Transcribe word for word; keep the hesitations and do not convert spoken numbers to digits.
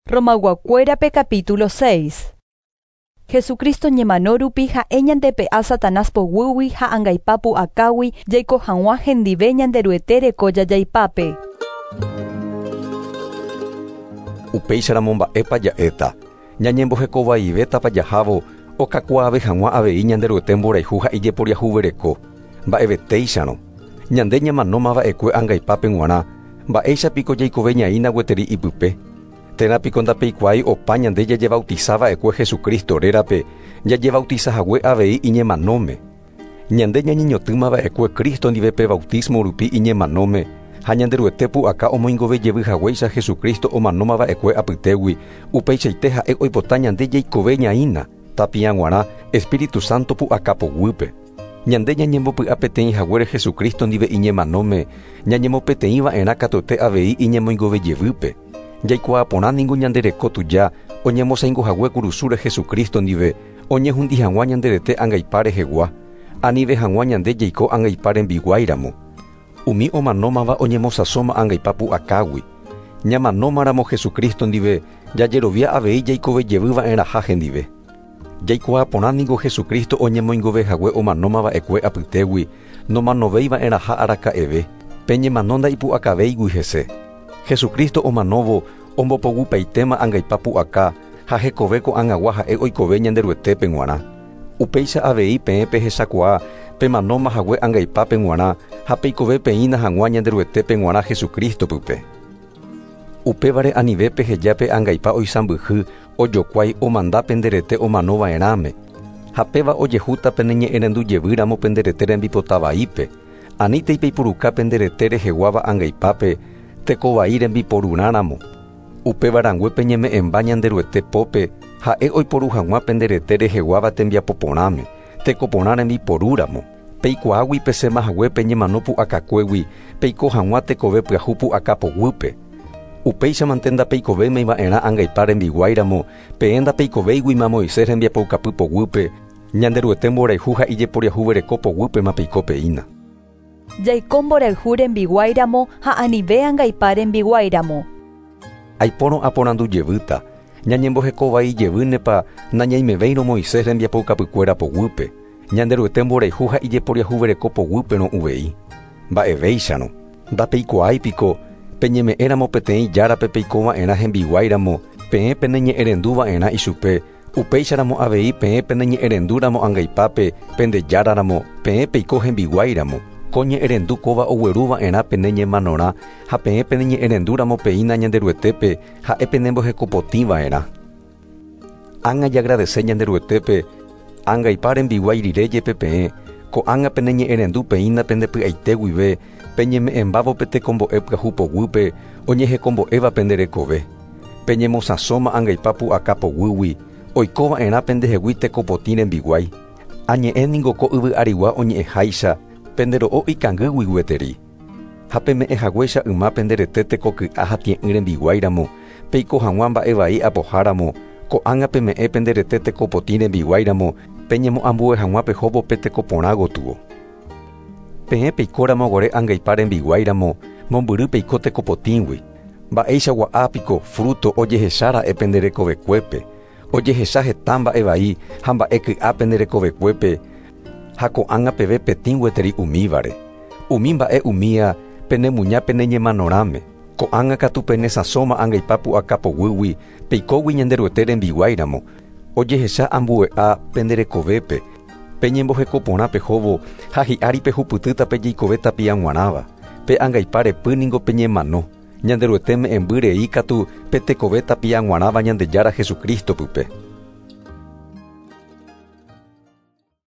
Romayguakuérape capítulo seis. Jesucristo ñemano rupi ha'e ñandepe'a Satanás poguýgui ha angaipa pu'akágui jaiko hag̃ua hendive Ñanderuete reko jajaipápe. Upéicharamo mba'épa ja'éta, ñañembohekovaivétapa jahávo okakuaave hag̃ua avei Ñanderuete mborayhu ha ijeporiahuvereko, mba'evetéicharõ. Ñande ñamanómava'ekue angaipápe g̃uarã, mba'éichapiko jaikove ñaína gueteri ipype. Térã piko ndapeikuaái opa ñande jajebautizava'ekue Jesucristo rérape, jajebautizahague avei iñemanóme. Ñande ñañeñotỹmava'ekue Cristo ndive pe bautismo rupi iñemanóme, ha Ñanderuete pu'aka omoingove jevy haguéicha Jesucristo omanómava'ekue apytégui, upeichaite ha'e oipota ñande jaikove ñaína, tapia g̃uarã Espíritu Santo pu'aka poguýpe. Ñande ñañembopy'a peteĩ haguére Jesucristo ndive iñemanóme, ñañemopeteĩva'erã katuete avei iñemoingove jevýpe. Jaikuaa porã ningo ñandereko tuja oñemosaingohague kurusúre Jesucristo ndive, oñehundi hag̃ua ñanderete angaipa rehegua, anive hag̃ua ñande jaiko angaipa rembiguáiramo. Umi omanómava oñemosãsóma angaipa pu'akágui. Ñamanómaramo Jesucristo ndive, jajerovia avei jaikove jevyva'erãha hendive. Jaikuaa porã ningo Jesucristo oñemoingovehague omanómava'ekue apytégui, nomanovéiva'erãha araka'eve, pe ñemano ndaipu'akavéigui hese. Jesucristo omanóvo ombopogupaitéma angaipa pu'aka ha hekove ko'ag̃agua ha'e oikove Ñanderuetépe g̃uarã. Upéicha avei peẽ pehechakuaa pemanóma hague angaipápe g̃uarã ha peikove peína hag̃ua Ñanderuetépe g̃uarã Jesucristo pype. Upévare anive peheja pe angaipa oisãmbyhy ojokuái omanda penderete omanova'erãme. Ha péva ojehúta peneñe'ẽrendu jevýramo penderete rembipota vaípe. Anítei peipuruka penderete reheguáva angaipápe tekovai rembiporurãramo. Upéva rangue peñeme'ẽmba Ñanderuete pópe ha'e oiporu hag̃ua penderete reheguáva tembiapo porãme, tekoporã rembiporúramo. Peikuaágui pesẽmahague peñemano pu'akakuégui, peiko hag̃ua tekove pyahu pu'aka poguýpe. Upéichamante ndapeikovéimiva'erã angaipa rembiguáiramo, peẽ ndapeikovéiguima Moisés rembiapoukapy poguýpe, Ñanderuete mborayhu ha ijeporiahuvereko poguýpema peiko peína. Jaiko mborayhu rembiguáiramo ha anive angaipa rembiguáiramo. Aipórõ aporandu jevýta, ñañembohekovai jevýnepa nañaimevéirõ Moisés rembiapoukapykuéra poguýpe, Ñanderuete mborayhu ha ijeporiahuvereko poguýperõ uvei. Mba'evéicharõ, ndapeikuaáipiko peñeme'ẽramo peteĩ járape peikova'erã hembiguáiramo, peẽ peneñe'ẽrenduva'erã ichupe, upéicharamo avei peẽ peneñe'ẽrendúramo angaipápe pendejáraramo, peẽ peiko hembiguáiramo. Ko ñe'ẽrendu kóva ogueruva'erã pene ñemanorã ha peẽ peneñe'ẽrendúramo peína Ñanderuetépe ha'e penembohekopotĩva'erã. Ág̃a jagradece Ñanderuetépe, angaipa rembiguái rire jepe peẽ, ko'ág̃a peneñe'ẽrendu peína pendepy'aite guive, peñeme'ẽmbávo pe tekombo'e pyahu poguýpe oñehekombo'éva penderekove. Peñemosãsóma angaipa pu'aka poguýgui, oikova'erã pendehegui tekopotĩ rembiguái. Añe'ẽ ningo ko yvy arigua oñe'ẽháicha, pendero'o ikangýgui gueteri. Ha peme'ẽhaguéicha yma penderete tekoky'a ha tie'ỹ rembiguáiramo, peiko hag̃ua mba'evai apoháramo, ko'ág̃a peme'ẽ penderete tekopotĩ rembiguáiramo, peñemoambue hag̃ua pehóvo pe tekoporã gotyo. Peẽ peikóramo guare angaipa rembiguáiramo, mombyry peiko tekopotĩgui. Mba'éichagua ápiko fruto ojehechára'e penderekovekuépe, ojehecha heta mba'evai ha mba'e ky'a penderekovekuépe, ha ko'ág̃a peve petĩ gueteri umívare. Umi mba'e umía penemuña peneñemanorãme. Ko'ág̃a katu penesãsóma angaipa pu'aka poguýgui, peikógui Ñanderuete rembiguáiramo, ojehecha ambue'a penderekovépe, peñembohekoporã pehóvo ha hi'ári pehupytýta pejeikove tapia g̃uarãva. Pe angaipa repy ningo peñemano, Ñanderuete me'ẽmby rei katu pe tekove tapia g̃uarãva Ñandejára Jesucristo pype.